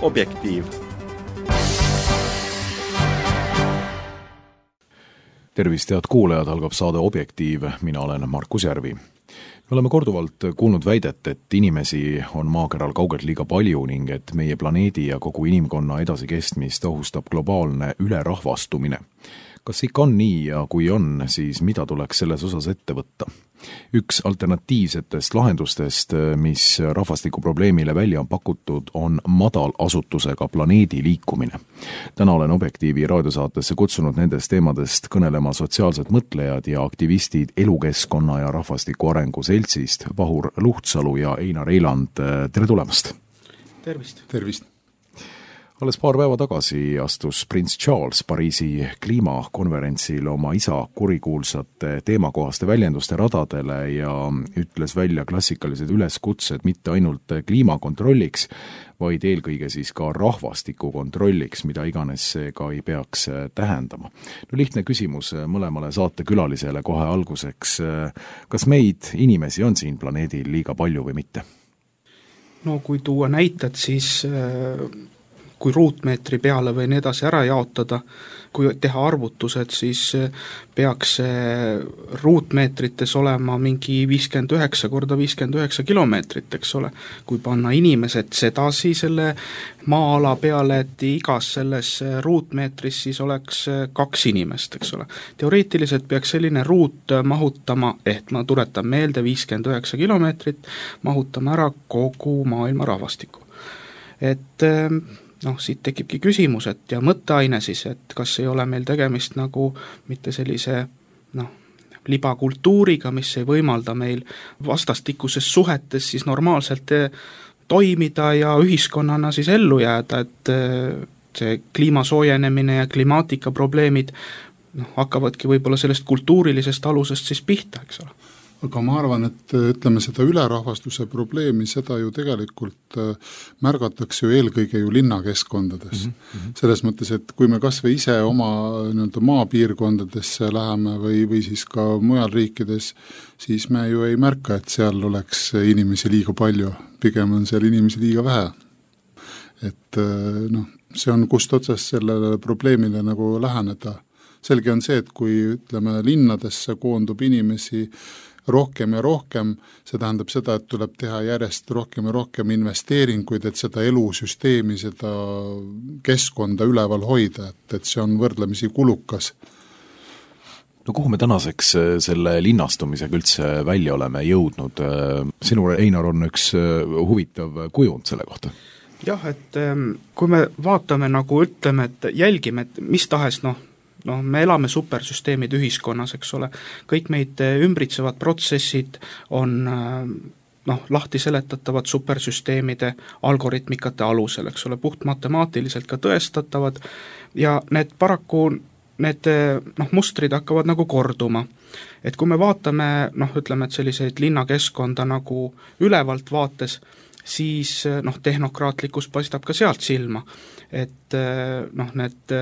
Objektiiv. Tervist, head kuulajad, algab saade Objektiiv, mina olen Markus Järvi. Me oleme korduvalt kuulnud väidet, et inimesi on maakeral kaugelt liiga palju ning et meie planeedi ja kogu inimkonna edasikestmist ohustab globaalne ülerahvastumine. Kas ikka on nii ja kui on, siis mida tuleks selles osas ette võtta? Üks alternatiivsetest lahendustest, mis rahvastikuprobleemile välja on pakutud, on madalasutusega planeedi liikumine. Täna olen Objektiivi raadiosaatesse kutsunud nendest teemadest kõnelema sotsiaalsed mõtlejad ja aktivistid Elukeskkonna ja Rahvastiku Arengu Seltsist, Vahur Luhtsalu ja Einar Eiland. Tere tulemast! Tervist! Tervist! Alles paar päeva tagasi astus prints Charles Pariisi kliimakonverentsil oma isa kurikuulsate teemakohaste väljenduste radadele ja ütles välja klassikalised üleskutsed mitte ainult kliimakontrolliks, vaid eelkõige siis ka rahvastiku kontrolliks, mida iganes see ka ei peaks tähendama. No lihtne küsimus mõlemale saatekülalisele kohe alguseks. Kas meid inimesi on siin planeedil liiga palju või mitte? No kui tuua näited, siis kui ruutmeetri peale või nii edasi ära jaotada, kui teha arvutused, siis peaks ruutmeetrites olema mingi 59 korda 59 kilomeetrit, eks ole. Kui panna inimesed sedasi selle maa-ala peale, et igas selles ruutmeetris siis oleks 2 inimest, eks ole. Teoreetiliselt peaks selline ruut mahutama, ma tuletan meelde 59 kilomeetrit, mahutama ära kogu maailma rahvastiku. Siit tekibki küsimus, ja mõtteaine siis, et kas ei ole meil tegemist nagu mitte sellise libakultuuriga, mis ei võimalda meil vastastikuses suhetes siis normaalselt toimida ja ühiskonnana siis ellu jääda, et see kliima soojenemine ja klimaatika probleemid hakkavadki võib-olla sellest kultuurilisest alusest siis pihta, eks ole. Aga ma arvan, et ütleme seda ülerahvastuse probleemi, seda ju tegelikult märgatakse ju eelkõige ju linnakeskkondades. Selles mõttes, et kui me kas või ise oma maapiirkondadesse läheme või siis ka mujal riikides, siis me ju ei märka, et seal oleks inimesi liiga palju, pigem on seal inimesi liiga vähe. Et see on kust otsast sellele probleemile nagu läheneda. Selge on see, et kui ütleme linnadesse koondub inimesi rohkem ja rohkem, see tähendab seda, et tuleb teha järjest rohkem ja rohkem investeeringuid, et seda elusüsteemi, seda keskkonda üleval hoida, et see on võrdlemisi kulukas. No kuhu me tänaseks selle linnastumisega üldse välja oleme jõudnud? Sinul, Einar, on üks huvitav kujund selle kohta. Jah, et kui me vaatame ütleme, et jälgime, et mis tahes me elame supersüsteemid ühiskonnas, eks ole, kõik meid ümbritsevad protsessid on lahti seletatavad supersüsteemide algoritmikate alusel, eks ole, puht matemaatiliselt ka tõestatavad ja need paraku, need mustrid hakkavad korduma. Et kui me vaatame, ütleme, et selliseid linnakeskkonda ülevalt vaates, siis tehnokraatlikkus paistab ka sealt silma, et need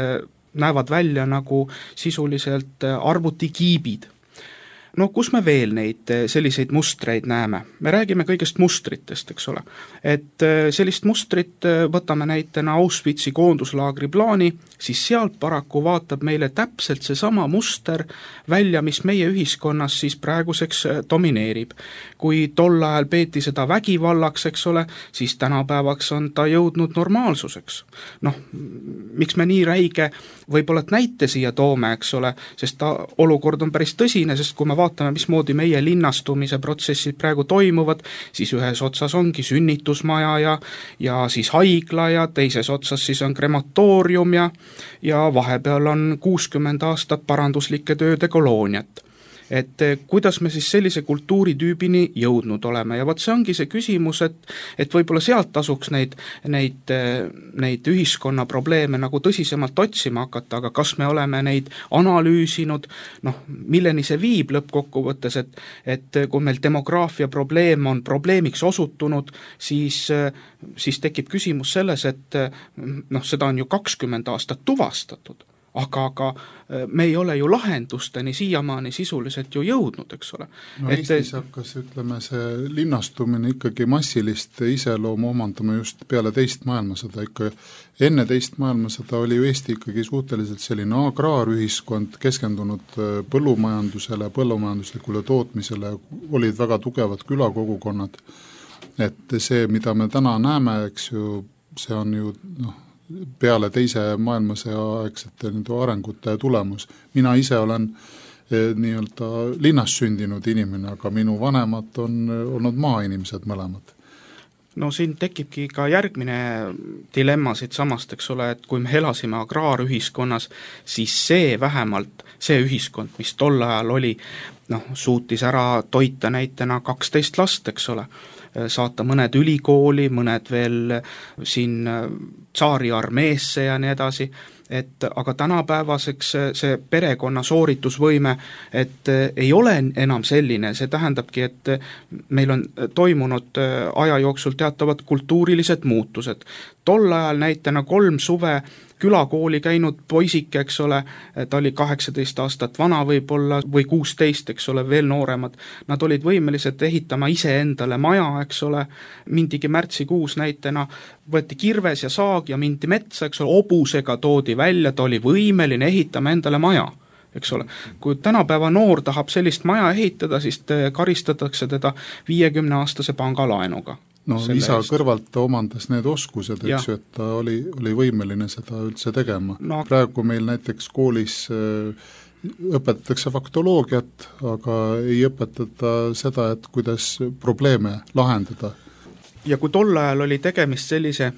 näevad välja sisuliselt arvutikiibid. Kus me veel neid selliseid mustreid näeme? Me räägime kõigest mustritest, eks ole. Et sellist mustrit võtame näitena Auschwitzi koonduslaagri plaani, siis sealt paraku vaatab meile täpselt seesama muster välja, mis meie ühiskonnas siis praeguseks domineerib. Kui tol ajal peeti seda vägivallaks, eks ole, siis tänapäevaks on ta jõudnud normaalsuseks. Miks me nii räige võib-olla näite siia toome, eks ole, sest olukord on päris tõsine, sest kui me vaatame, mismoodi meie linnastumise protsessid praegu toimuvad, siis ühes otsas ongi sünnitusmaja ja siis haigla ja teises otsas siis on krematoorium ja vahepeal on 60 aastat paranduslike tööde kolooniat. Et kuidas me siis sellise kultuuritüübini jõudnud oleme ja see ongi see küsimus, et võib-olla sealt tasuks neid ühiskonna probleeme tõsisemalt otsima hakata, aga kas me oleme neid analüüsinud, milleni see viib lõppkokkuvõttes, et kui meil demograafia probleem on probleemiks osutunud, siis tekib küsimus selles, et seda on ju 20 aastat tuvastatud, aga me ei ole ju lahendusteni siiamaani sisuliselt ju jõudnud, eks ole. No Eestis hakkas, ütleme, see linnastumine ikkagi massilist iseloomu omandama just peale teist maailmasõda. Ikka enne teist maailmasõda oli ju Eesti ikkagi suhteliselt selline agraarühiskond, keskendunud põllumajandusele, põllumajanduslikule tootmisele, olid väga tugevad külakogukonnad. Et see, mida me täna näeme, eks ju, see on ju peale teise maailmasõja aegsete arengute tulemus. Mina ise olen nii-öelda linnas sündinud inimene, aga minu vanemad on olnud maainimesed mõlemad. No siin tekibki ka järgmine dilemma siit samast, eks ole, et kui me elasime agraarühiskonnas, siis see vähemalt, see ühiskond, mis tol ajal oli, suutis ära toita näitena 12 last, eks ole, saata mõned ülikooli, mõned veel siin tsaari armeesse ja nii edasi, et aga tänapäevaseks see perekonna sooritusvõime, et ei ole enam selline, see tähendabki, et meil on toimunud aja jooksul teatavad kultuurilised muutused. Tol ajal näitena 3 suve külakooli käinud poisike, eks ole, ta oli 18 aastat vana võib-olla või 16, eks ole, veel nooremad, nad olid võimelised ehitama ise endale maja, eks ole, mindigi märtsikuus näitena, võeti kirves ja saag ja mindi metsa, eks ole, hobusega toodi välja, ta oli võimeline ehitama endale maja, eks ole. Kui tänapäeva noor tahab sellist maja ehitada, siis karistatakse teda 50-aastase pangalaenuga. No isa kõrvalt ta omandas need oskused, eks ju, et ta oli võimeline seda üldse tegema. Praegu meil näiteks koolis õpetatakse faktoloogiat, aga ei õpetata seda, et kuidas probleeme lahendada. Ja kui tol ajal oli tegemist sellise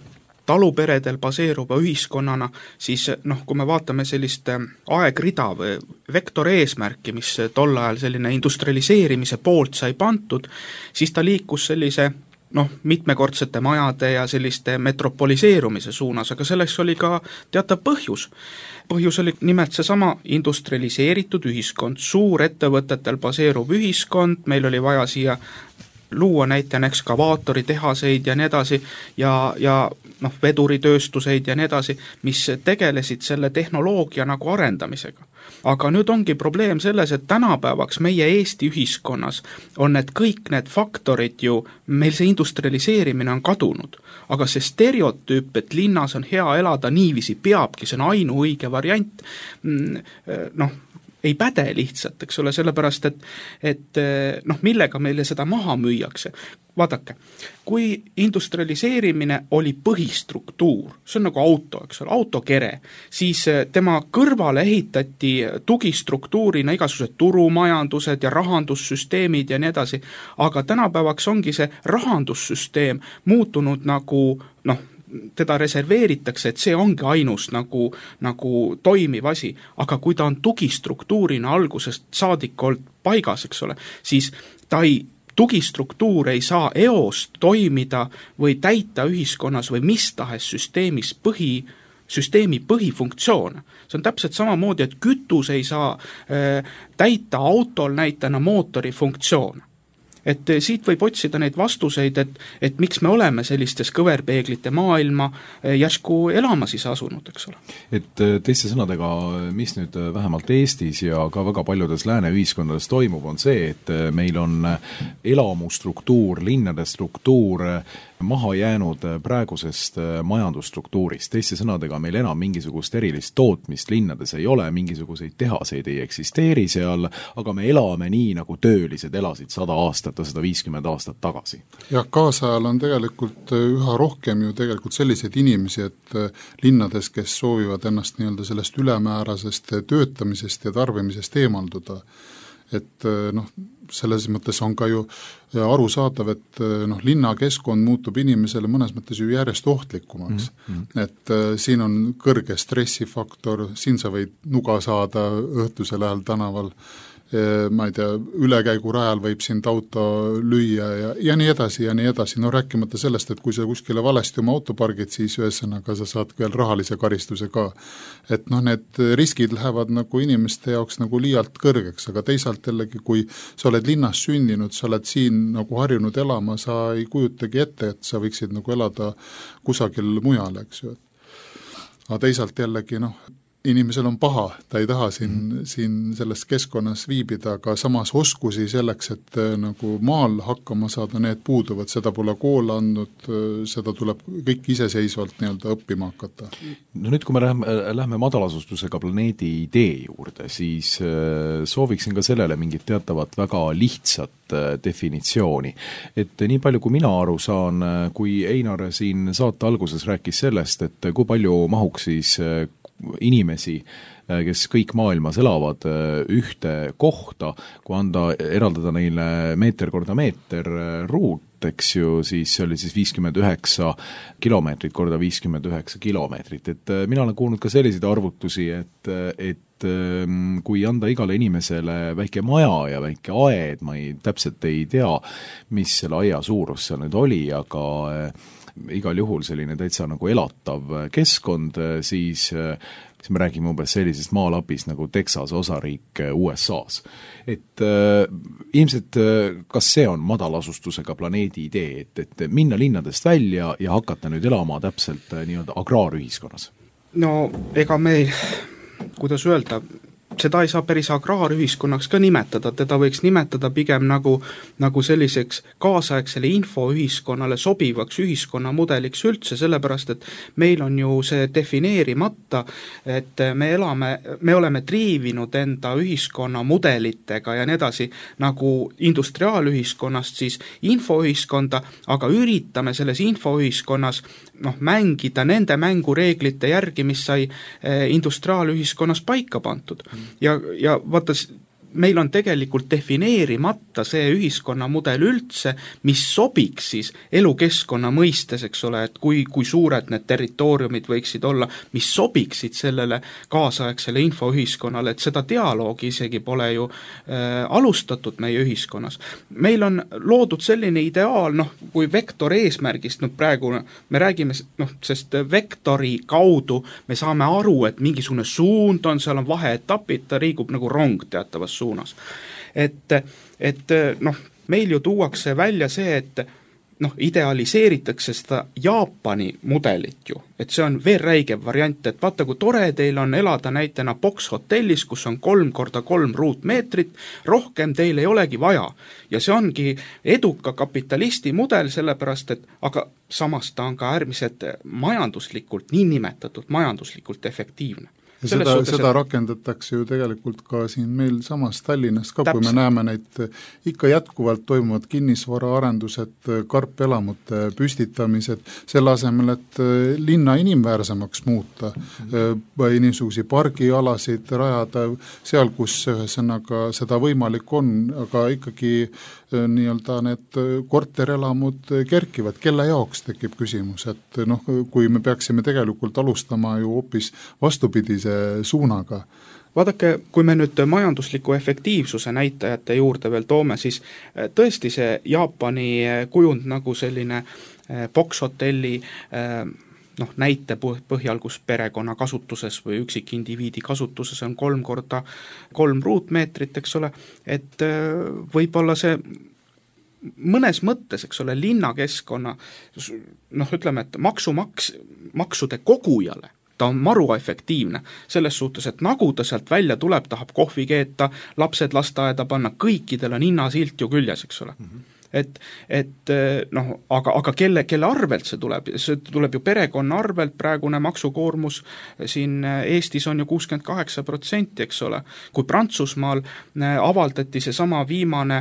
taluperedel baseeruva ühiskonnana, siis kui me vaatame sellist aegrida või vektoreesmärki, mis tol ajal selline industrialiseerimise poolt sai pantud, siis ta liikus sellise mitmekordsete majade ja selliste metropoliseerumise suunas, aga selleks oli ka teatav põhjus. Põhjus oli nimelt seesama industrialiseeritud ühiskond, suurettevõtetel baseeruv ühiskond, meil oli vaja siia luua näitena ekskavaatoritehaseid ja nii edasi ja veduritööstuseid ja nii edasi, mis tegelesid selle tehnoloogia nagu arendamisega. Aga nüüd ongi probleem selles, et tänapäevaks meie Eesti ühiskonnas on kõik need faktorid ju, meil see industrialiseerimine on kadunud, aga see stereotüüp, et linnas on hea elada niiviisi peabki, see on ainuõige variant, ei päde lihtsalt, eks ole, sellepärast, et millega meile seda maha müüakse. Vaadake, kui industrialiseerimine oli põhistruktuur, see on nagu auto, eks ole, autokere, siis tema kõrvale ehitati tugistruktuurina igasugused turumajandused ja rahandussüsteemid ja nii edasi, aga tänapäevaks ongi see rahandussüsteem muutunud nagu, teda reserveeritakse, et see ongi ainus nagu toimiv asi, aga kui ta on tugistruktuurina algusest saadik olnud paigas, eks ole, siis tugistruktuur ei saa eost toimida või täita ühiskonnas või mis tahes süsteemi põhifunktsioone. See on täpselt samamoodi, et kütus ei saa täita autol näitena mootori funktsioone. Et siit võib otsida neid vastuseid, et miks me oleme sellistes kõverpeeglite maailma järsku elama siis asunud, eks ole. Et teiste sõnadega, mis nüüd vähemalt Eestis ja ka väga paljudes lääne ühiskondades toimub, on see, et meil on elamustruktuur, linnade struktuur maha jäänud praegusest majandusstruktuurist. Teiste sõnadega meil enam mingisugust erilist tootmist linnades ei ole, mingisuguseid tehaseid ei eksisteeri seal, aga me elame nii, nagu töölised elasid 100 aastat ja 150 aastat tagasi. Ja kaasajal on tegelikult üha rohkem ju tegelikult selliseid inimesi, et linnades, kes soovivad ennast nii-öelda sellest ülemäärasest töötamisest ja tarbimisest eemalduda, et selles mõttes on ka ju arusaadav, et linnakeskkond muutub inimesele mõnes mõttes ju järjest ohtlikumaks. Et siin on kõrge stressifaktor, siin sa võid nuga saada õhtusel ajal tänaval, ma ei tea, ülekäigurajal võib sind auto lüüa ja nii edasi ja nii edasi. No rääkimata sellest, et kui sa kuskile valesti oma auto pargid, siis ühesõnaga sa saad veel rahalise karistuse ka. Et need riskid lähevad nagu inimeste jaoks nagu liialt kõrgeks, aga teisalt jällegi, kui sa oled linnas sündinud, sa oled siin nagu harjunud elama, sa ei kujutagi ette, et sa võiksid nagu elada kusagil mujal, eks ju. Aga teisalt jällegi, inimesel on paha, ta ei taha siin selles keskkonnas viibida, aga samas oskusi selleks, et nagu maal hakkama saada, need puuduvad, seda pole kool andnud, seda tuleb kõik iseseisvalt nii-öelda õppima hakata. No nüüd, kui me lähme madalasustusega planeedi idee juurde, siis sooviksin ka sellele mingit teatavat väga lihtsat definitsiooni. Et nii palju, kui mina aru saan, kui Einar siin saate alguses rääkis sellest, et kui palju mahuks siis inimesi, kes kõik maailmas elavad ühte kohta, kui eraldada neile meeter korda meeter ruut, eks ju, siis see oli siis 59 kilomeetrit korda 59 kilomeetrit. Et mina olen kuulnud ka selliseid arvutusi, et kui anda igale inimesele väike maja ja väike aed, ma täpselt ei tea, mis selle aia suurus seal nüüd oli, aga igal juhul selline täitsa nagu elatav keskkond, siis me räägime umbes sellisest maalapis nagu Texase osariik USA-s. Et ilmselt kas see on madalasustusega planeedi idee, et minna linnadest välja ja hakata nüüd elama täpselt nii-öelda agraarühiskonnas? No ega me, kuidas öelda, seda ei saa päris agraarühiskonnaks ka nimetada, teda võiks nimetada pigem nagu selliseks kaasaegsele infoühiskonnale sobivaks ühiskonnamudeliks üldse, sellepärast et meil on ju see defineerimata, et me oleme triivinud enda ühiskonnamudelitega ja nii edasi nagu industriaalühiskonnast siis infoühiskonda, aga üritame selles infoühiskonnas mängida nende mängureeglite järgi, mis sai industriaalühiskonnas paika pandud. Ja vaata, meil on tegelikult defineerimata see ühiskonnamudel üldse, mis sobiks siis elukeskkonna mõistes, eks ole, et kui suured need territooriumid võiksid olla, mis sobiksid sellele kaasaegsele infoühiskonnale, et seda dialoogi isegi pole ju alustatud meie ühiskonnas. Meil on loodud selline ideaal, kui vektor eesmärgist, praegu me räägime, sest vektori kaudu me saame aru, et mingisugune suund on, seal on vaheetapid, ta liigub nagu rong teatavas suunas. Et meil ju tuuakse välja see, et idealiseeritakse seda Jaapani mudelit ju, et see on veel räigem variant, et vaata, kui tore teil on elada näitena box-hotellis, kus on 3x3 ruutmeetrit, rohkem teil ei olegi vaja. Ja see ongi eduka kapitalisti mudel, sellepärast, et aga samas ta on ka äärmiselt majanduslikult, niinimetatud majanduslikult efektiivne. Seda rakendatakse ju tegelikult ka siin meil samas Tallinnas ka, kui me näeme neid ikka jätkuvalt toimuvad kinnisvaraarendused, karpelamute püstitamised, selle asemel, et linna inimväärsemaks muuta, niisugusi pargialasid rajada seal, kus ühesõnaga seda võimalik on, aga ikkagi nii-öelda need korterelamud kerkivad, kelle jaoks tekib küsimus, et kui me peaksime tegelikult alustama ju hoopis vastupidise suunaga. Vaadake, kui me nüüd majandusliku efektiivsuse näitajate juurde veel toome, siis tõesti see Jaapani kujund nagu selline box-hotelli näite põhjal, kus perekonna kasutuses või üksikindiviidi kasutuses on 3x3 ruutmeetrit, eks ole, et võib-olla see mõnes mõttes, eks ole, linnakeskkonna, ütleme, et maksude kogujale ta on maru efektiivne, selles suhtes, et nagu ta sealt välja tuleb, tahab kohvi keeta, lapsed lasteaeda panna, kõikidel on hinnasilt ju küljes, eks ole. Aga kelle arvelt see tuleb ju perekonna arvelt, praegune maksukoormus siin Eestis on ju 68%, eks ole. Kui Prantsusmaal avaldati see sama viimane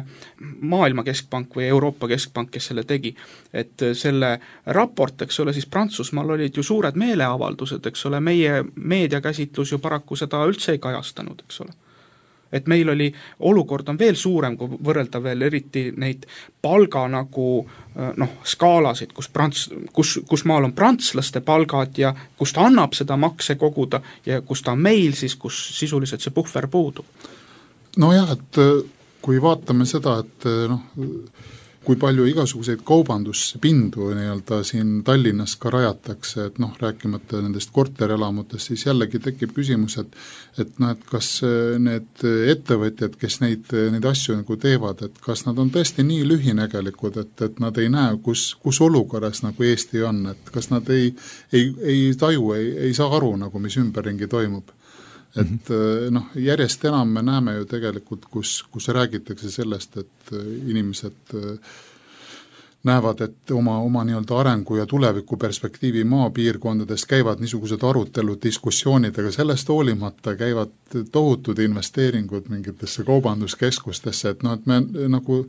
maailma keskpank või Euroopa keskpank, kes selle tegi, et selle raport, eks ole, siis Prantsusmaal olid ju suured meeleavaldused, eks ole, meie meediakäsitlus ju paraku seda üldse ei kajastanud, eks ole. Et meil oli, olukord on veel suurem, kui võrrelda veel eriti neid palga nagu skaalasid, kus maal on prantslaste palgad ja kus ta annab seda makse koguda ja kus ta on meil siis, kus sisuliselt see puhver puudub. Nojah, et kui vaatame seda, et kui palju igasuguseid kaubanduspindu nii-öelda siin Tallinnas ka rajatakse, et rääkimata nendest korterelamutest, siis jällegi tekib küsimus, et kas need ettevõtjad, kes neid asju nagu teevad, et kas nad on tõesti nii lühinägelikud, et nad ei näe, kus olukorras nagu Eesti on, et kas nad ei taju, ei saa aru nagu, mis ümberringi toimub. et järjest enam me näeme ju tegelikult, kus räägitakse sellest, et inimesed näevad, et oma nii-öelda arengu ja tuleviku perspektiivi maapiirkondades käivad niisugused arutelud, diskussioonid, aga sellest hoolimata käivad tohutud investeeringud mingitesse kaubanduskeskustesse, et et me nagu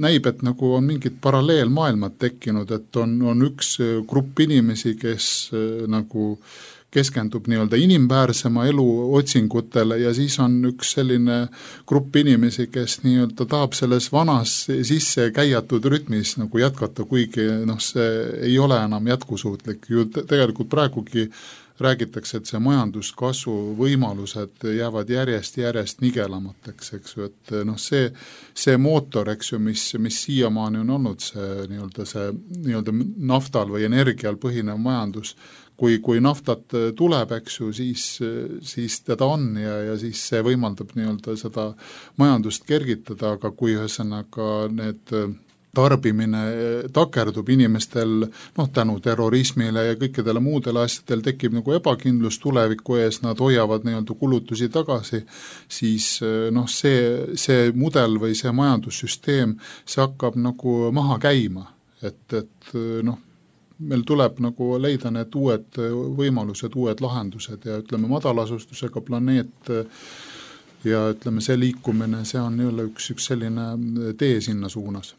näib, et nagu on mingid paralleelmaailmad tekkinud, et on üks grupp inimesi, kes nagu keskendub nii-öelda inimväärsema elu otsingutele ja siis on üks selline grupp inimesi, kes nii-öelda tahab selles vanas sisse käiatud rütmis nagu jätkata, kuigi see ei ole enam jätkusuutlik. Ju tegelikult praegugi räägitakse, et see majanduskasvu võimalused jäävad järjest nigelamateks, eks ju, et see mootor, eks ju, mis siiamaani on olnud see nii-öelda naftal või energial põhinev majandus, kui naftat tuleb, eks ju, siis teda on ja siis see võimaldab nii-öelda seda majandust kergitada, aga kui ühesõnaga need tarbimine takerdub inimestel, tänu terrorismile ja kõikidele muudele asjadel tekib nagu ebakindlus tuleviku ees, nad hoiavad nii-öelda kulutusi tagasi, siis see mudel või see majandussüsteem, see hakkab nagu maha käima, et meil tuleb nagu leida need uued võimalused, uued lahendused ja ütleme madalasustusega planeet ja ütleme see liikumine, see on jälle üks selline tee sinna suunas.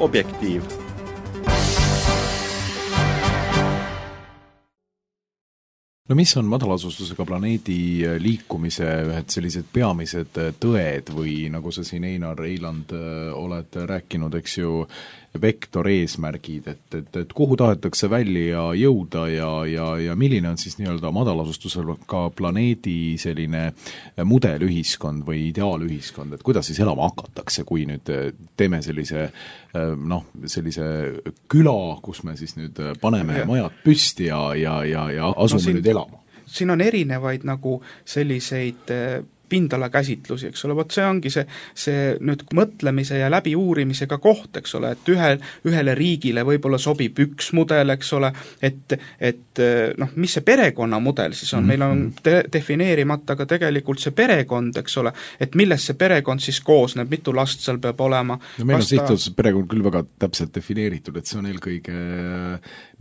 Objektiiv. no mis on madalasustusega planeedi liikumise ühed sellised peamised tõed või nagu sa siin Einar Eiland oled rääkinud, eks ju, vektoreesmärgid, et kuhu tahetakse välja jõuda ja milline on siis nii-öelda madalasustusega planeedi selline mudelühiskond või ideaalühiskond, et kuidas siis elama hakatakse, kui nüüd teeme sellise küla, kus me siis nüüd paneme majad püsti ja asume nüüd elama? Siin on erinevaid nagu selliseid pindala käsitlusi, eks ole, vot see ongi see nüüd mõtlemise ja läbiuurimisega koht, eks ole, et ühele riigile võib-olla sobib üks mudel, eks ole, et mis see perekonnamudel siis on, meil on defineerimata ka tegelikult see perekond, eks ole, et millest see perekond siis koosneb, mitu last seal peab olema. No meil on sihtotsus perekond küll väga täpselt defineeritud, et see on eelkõige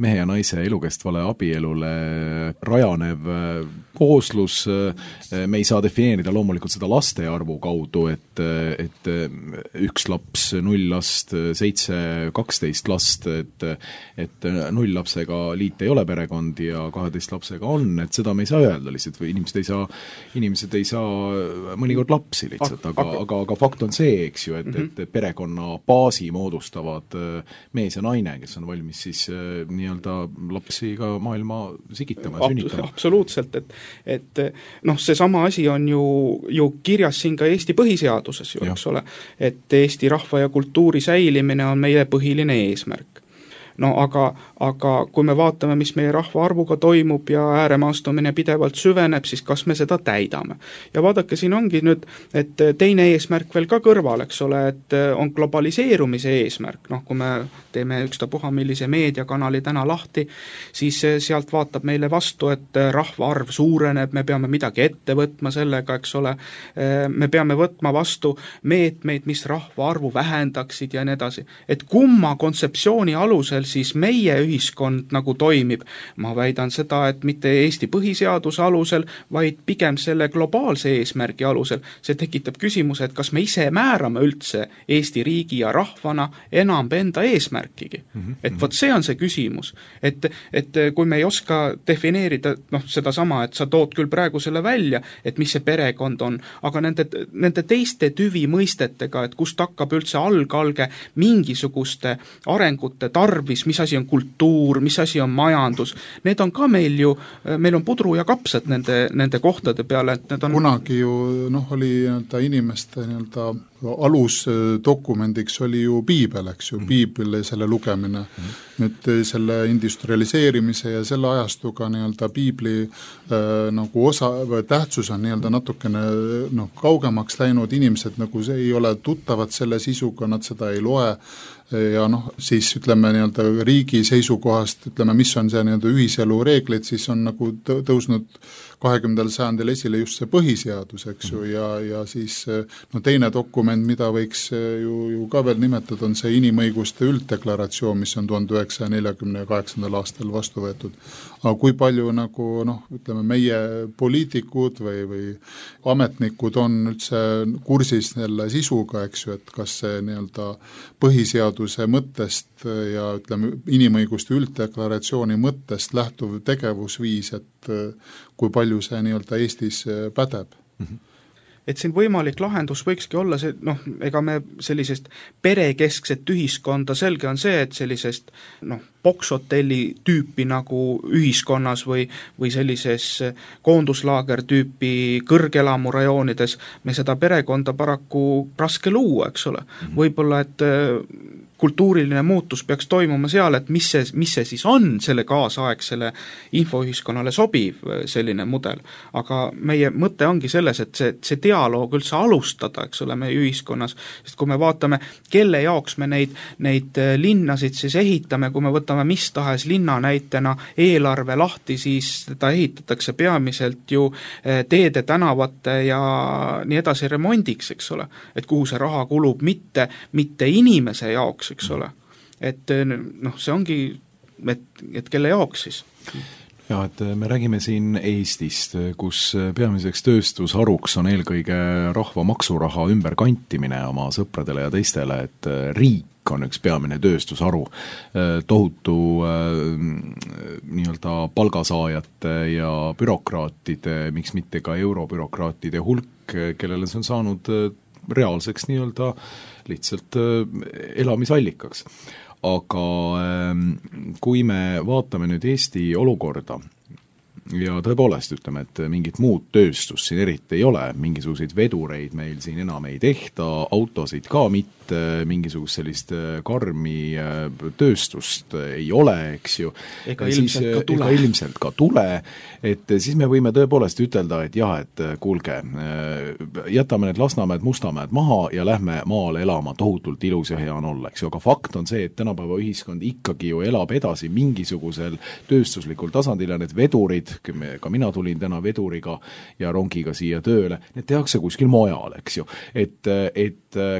mehe ja naise elukestvale abielule rajanev kooslus, me ei saa defineerida loomulikult seda laste arvu kaudu, et 1 laps, 0 last, 7, 12 last, et 0 lapsega liit ei ole perekond ja 12 lapsega on, et seda me ei saa öelda lihtsalt või inimesed ei saa mõnikord lapsi lihtsalt, aga fakt on see, eks ju, et perekonna baasi moodustavad mees ja naine, kes on valmis siis nii-öelda lapsi ka maailma sigitama ja sünnitama. Absoluutselt, et seesama asi on ju kirjas siin ka Eesti põhiseaduses ju, eks ole, et Eesti rahva ja kultuuri säilimine on meie põhiline eesmärk. No aga kui me vaatame, mis meie rahvaarvuga toimub ja ääremaastumine pidevalt süveneb, siis kas me seda täidame. Ja vaadake, siin ongi nüüd, et teine eesmärk veel ka kõrval, eks ole, et on globaliseerumise eesmärk, kui me teeme ükstapuha millise meediakanali täna lahti, siis sealt vaatab meile vastu, et rahvaarv suureneb, me peame midagi ette võtma sellega, eks ole, me peame võtma vastu meetmeid, mis rahvaarvu vähendaksid ja nii edasi. Et kumma kontseptsiooni alusel siis meie ühiskond nagu toimib. Ma väidan seda, et mitte Eesti põhiseaduse alusel, vaid pigem selle globaalse eesmärgi alusel. See tekitab küsimuse, et kas me ise määrame üldse Eesti riigi ja rahvana enam enda eesmärkigi. Et vot see on see küsimus. Et kui me ei oska defineerida seda sama, et sa tood küll praegu selle välja, et mis see perekond on, aga nende teiste tüvi mõistetega, et kust hakkab üldse algalge mingisuguste arengute tarvis, mis asi on kultuur, mis asi on majandus, need on ka meil on pudru ja kapsad nende kohtade peale, et need on kunagi ju oli inimeste alusdokumendiks oli ju piibel, eks ju, piibel ja selle lugemine. Nüüd selle industrialiseerimise ja selle ajastuga piibli nagu tähtsus on natukene kaugemaks läinud, inimesed nagu ei ole tuttavad selle sisuga, nad seda ei loe ja siis ütleme riigi seisukohast, mis on see ühiselu reeglid, siis on nagu tõusnud 20. sajandil esile just see põhiseadus, eks ju, ja siis teine dokument, mida võiks ju ka veel nimetada, on see inimõiguste ülddeklaratsioon, mis on 1948. aastal vastu võetud. Aga kui palju meie poliitikud või ametnikud on üldse kursis selle sisuga, eks ju, et kas see põhiseaduse mõttest ja inimõiguste ülddeklaratsiooni mõttest lähtuv tegevusviis, et kui palju see Eestis pädeb. Et siin võimalik lahendus võikski olla see, ega me sellisest perekeskset ühiskonda, selge on see, et sellisest bokshotelli tüüpi nagu ühiskonnas või sellises koonduslaager tüüpi kõrgelamurajoonides me seda perekonda paraku raske luua, eks ole. Võib-olla, et kultuuriline muutus peaks toimuma seal, et mis see siis on selle kaasaegsele infoühiskonnale sobiv selline mudel. Aga meie mõte ongi selles, et see dialoog üldse alustada, eks ole, meie ühiskonnas, sest kui me vaatame, kelle jaoks me neid linnasid siis ehitame, kui me võtame mis tahes linna näitena eelarve lahti, siis seda ehitatakse peamiselt ju teede, tänavate ja nii edasi remondiks, eks ole, et kuhu see raha kulub mitte inimese jaoks, eks ole. Et see ongi, et kelle jaoks siis? Ja, et me räägime siin Eestist, kus peamiseks tööstusharuks on eelkõige rahva maksuraha ümberkantimine oma sõpradele ja teistele, et riik on üks peamine tööstusharu, tohutu nii-öelda palgasaajate ja bürokraatide, miks mitte ka eurobürokraatide hulk, kellele see on saanud reaalseks nii-öelda lihtsalt elamisallikaks. Aga kui me vaatame nüüd Eesti olukorda ja tõepoolest ütleme, et mingit muud tööstust siin eriti ei ole, mingisuguseid vedureid meil siin enam ei tehta, autosid ka mitte, mingisugust sellist karmi tööstust ei ole, eks ju. Ega ilmselt ka tule, et siis me võime tõepoolest ütelda, et jah, et kuulge, jätame need Lasnamäed, Mustamäed maha ja lähme maale elama, tohutult ilus ja hea on olla, eks ju, aga fakt on see, et tänapäeva ühiskond ikkagi ju elab edasi mingisugusel tööstuslikul tasandil ja need vedurid, ka mina tulin täna veduriga ja rongiga siia tööle, need tehakse kuskil mujal, eks ju. Et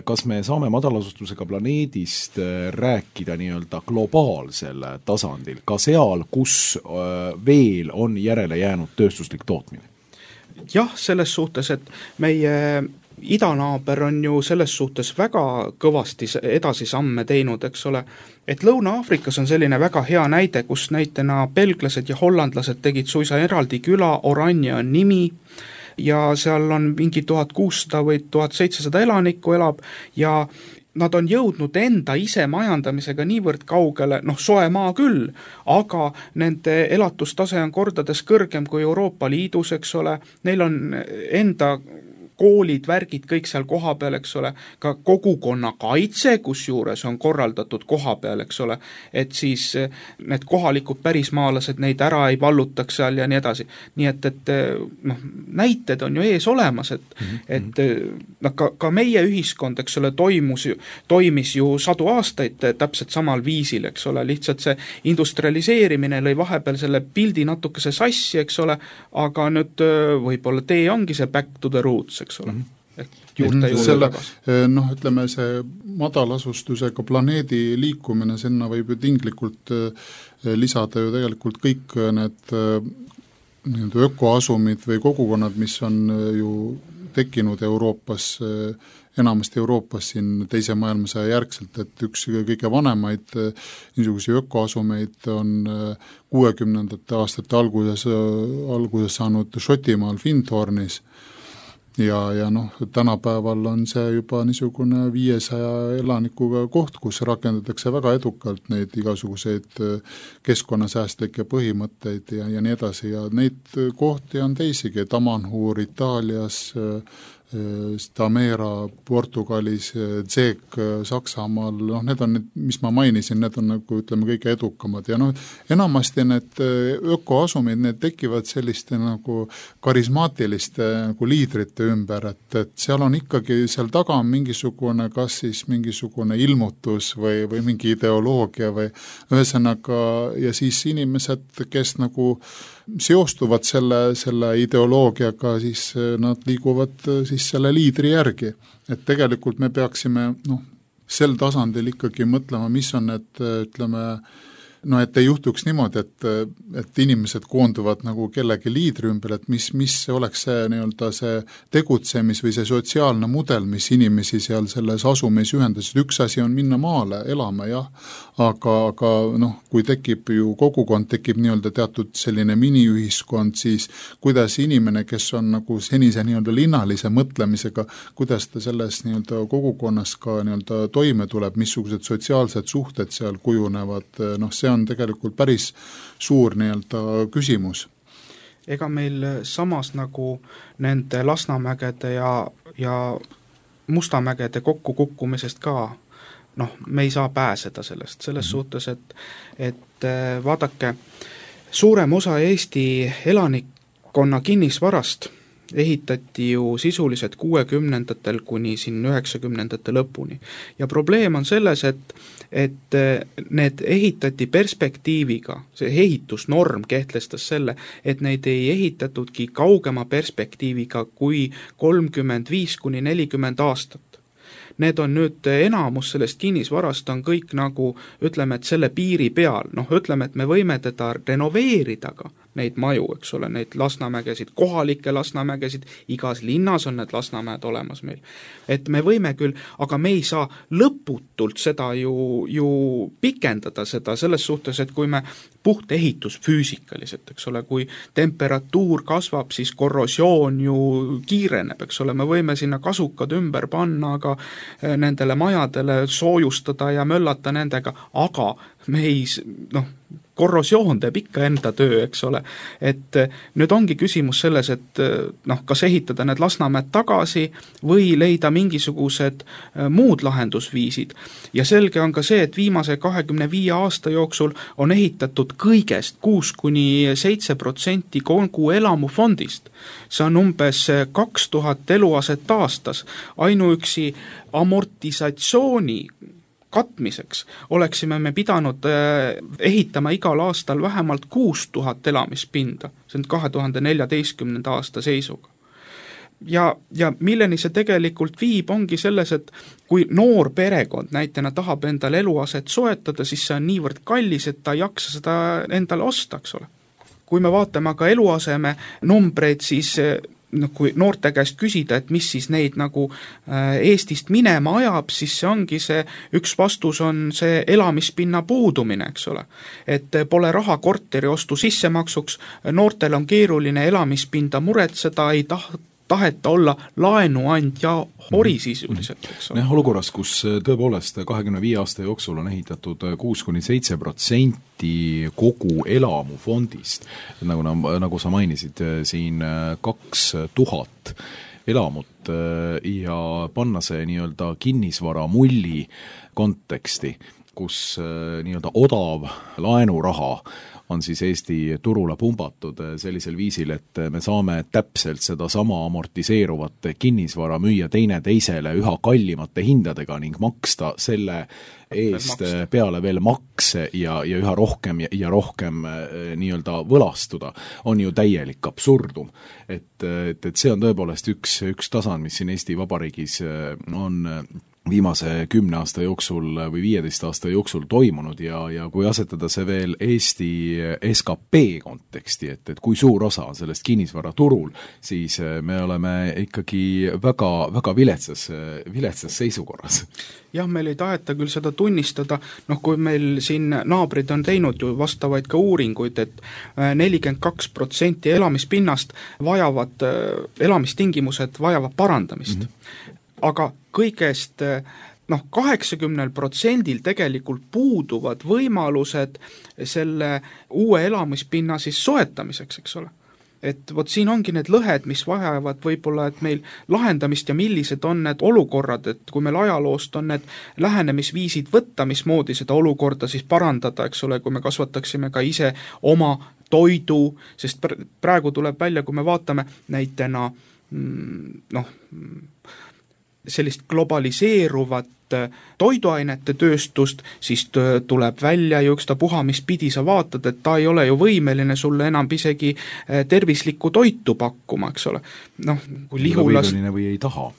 kas me saame madalasustusega planeedist rääkida nii-öelda globaalsel tasandil, ka seal, kus veel on järele jäänud tööstuslik tootmine? Jah, selles suhtes, et meie idanaaber on ju selles suhtes väga kõvasti edasisamme teinud, eks ole, et Lõuna-Aafrikas on selline väga hea näide, kus näitena belglased ja hollandlased tegid suisa eraldi küla, Oranje on nimi, ja seal on mingi 1600 või 1700 elanikku elab ja nad on jõudnud enda ise majandamisega niivõrd kaugele, soe maa küll, aga nende elatustase on kordades kõrgem kui Euroopa Liidus, eks ole, neil on enda koolid, värgid, kõik seal koha peal, eks ole, ka kogukonna kaitse, kus juures on korraldatud koha peal, eks ole, et siis need kohalikud pärismaalased neid ära ei vallutaks seal ja nii edasi. Nii et näited on ju ees olemas, et ka meie ühiskond, eks ole, toimis ju sadu aastaid täpselt samal viisil, eks ole, lihtsalt see industrialiseerimine lõi vahepeal selle pildi natukese sassi, eks ole, aga nüüd võib-olla tee ongi see back to the roots, eks ole. Ütleme, see madalasustusega planeedi liikumine, sinna võib ju tinglikult lisada ju tegelikult kõik need ökoasumid või kogukonnad, mis on ju tekkinud Euroopas, enamasti Euroopas siin teise maailmasõja järgselt, et üks kõige vanemaid niisuguseid ökoasumeid on 60. aastate alguses saanud Šotimaal Findhornis ja tänapäeval on see juba niisugune 500 elanikuga koht, kus rakendatakse väga edukalt neid igasuguseid keskkonnasäästlikke põhimõtteid ja nii edasi ja neid kohti on teisigi, Tamanhuur Itaalias, Stamera Portugalis, Zeek Saksamaal, need on, mis ma mainisin, need on nagu ütleme kõige edukamad ja enamasti need ökoasumid, need tekivad selliste nagu karismaatiliste nagu liidrite ümber, et seal on ikkagi, seal taga on mingisugune, kas siis mingisugune ilmutus või mingi ideoloogia või ühesõnaga ja siis inimesed, kes nagu seostuvad selle ideoloogiaga, siis nad liiguvad siis selle liidri järgi. Et tegelikult me peaksime sel tasandil ikkagi mõtlema, mis on need, ütleme, et ei juhtuks niimoodi, et inimesed koonduvad nagu kellegi liidri ümber, et mis oleks see nii-öelda see tegutsemis või see sotsiaalne mudel, mis inimesi seal selles asumis ühendasid. Üks asi on minna maale elama, jah, aga kui tekib ju kogukond, tekib nii-öelda teatud selline miniühiskond, siis kuidas inimene, kes on nagu senise nii-öelda linnalise mõtlemisega, kuidas ta selles nii-öelda kogukonnas ka nii-öelda toime tuleb, missugused sotsiaalsed suhted seal kujunevad, see on tegelikult päris suur nii-öelda küsimus. Ega meil samas nagu nende Lasnamägede ja Mustamägede kokkukukkumisest ka, me ei saa pääseda selles suhtes, et vaadake, suurem osa Eesti elanikkonna kinnisvarast ehitati ju sisuliselt 60-ndatel kuni siin 90-ndate lõpuni. Ja probleem on selles, et need ehitati perspektiiviga, see ehitusnorm kehtestas selle, et neid ei ehitatudki kaugema perspektiiviga kui 35 kuni 40 aastat. Need on nüüd enamus sellest kinnisvarast on kõik nagu, ütleme, et selle piiri peal, ütleme, et me võime teda renoveerida, neid maju, eks ole, neid Lasnamägesid, kohalikke Lasnamägesid, igas linnas on need Lasnamäed olemas meil. Et me võime küll, aga me ei saa lõputult seda ju pikendada seda selles suhtes, et kui me puht ehitusfüüsikaliselt, eks ole, kui temperatuur kasvab, siis korrosioon ju kiireneb, eks ole, me võime sinna kasukad ümber panna, aga nendele majadele soojustada ja möllata nendega, aga me ei, korrosioon teeb ikka enda töö, eks ole. Et nüüd ongi küsimus selles, et kas ehitada need Lasnamäed tagasi või leida mingisugused muud lahendusviisid. Ja selge on ka see, et viimase 25 aasta jooksul on ehitatud kõigest 6-7% kogu elamufondist. See on umbes 2000 eluaset aastas. Ainuüksi amortisatsiooni katmiseks oleksime me pidanud ehitama igal aastal vähemalt 6000 elamispinda, see on 2014. aasta seisuga. Ja milleni see tegelikult viib, ongi selles, et kui noor perekond näitena tahab endale eluaset soetada, siis see on niivõrd kallis, et ta ei jaksa seda endale osta, eks ole. Kui me vaatame aga eluaseme numbreid, siis kui noorte käest küsida, et mis siis neid nagu Eestist minema ajab, siis see ongi see, üks vastus on see elamispinna puudumine, eks ole. Et pole raha korteri ostu sissemaksuks, noortel on keeruline elamispinda muretseda, ei taheta olla laenuandja hori sisuliselt, eks ole. Olukorras, kus tõepoolest 25 aasta jooksul on ehitatud 6-7% kogu elamufondist, nagu sa mainisid, siin 2000 elamut ja panna see nii-öelda kinnisvara mulli konteksti, kus nii-öelda odav laenuraha on siis Eesti turule pumbatud sellisel viisil, et me saame täpselt seda sama amortiseeruvat kinnisvara müüa teisele üha kallimate hindadega ning maksta selle eest peale veel makse ja üha rohkem ja rohkem nii-öelda võlastuda, on ju täielik absurdum. Et see on tõepoolest üks tasand, mis siin Eesti Vabariigis on viimase 10 aasta jooksul või 15 aasta jooksul toimunud ja kui asetada see veel Eesti SKP konteksti, et kui suur osa on sellest kinnisvaraturul, siis me oleme ikkagi väga, väga viletsas seisukorras. Jah, meil ei taheta küll seda tunnistada, kui meil siin naabrid on teinud ju vastavaid ka uuringuid, et 42% elamispinnast elamistingimused vajavad parandamist. Aga kõigest 80% tegelikult puuduvad võimalused selle uue elamispinna siis soetamiseks, eks ole. Et vot siin ongi need lõhed, mis vajavad võib-olla, et meil lahendamist ja millised on need olukorrad, et kui meil ajaloost on need lähenemisviisid võtta, mismoodi seda olukorda siis parandada, eks ole, kui me kasvataksime ka ise oma toidu, sest praegu tuleb välja, kui me vaatame näitena sellist globaliseeruvat toiduainete tööstust, siis tuleb välja ja ükstapuha, mis pidi sa vaatad, et ta ei ole ju võimeline sulle enam isegi tervislikku toitu pakkuma, eks ole. Kui Lihulas... või ei taha.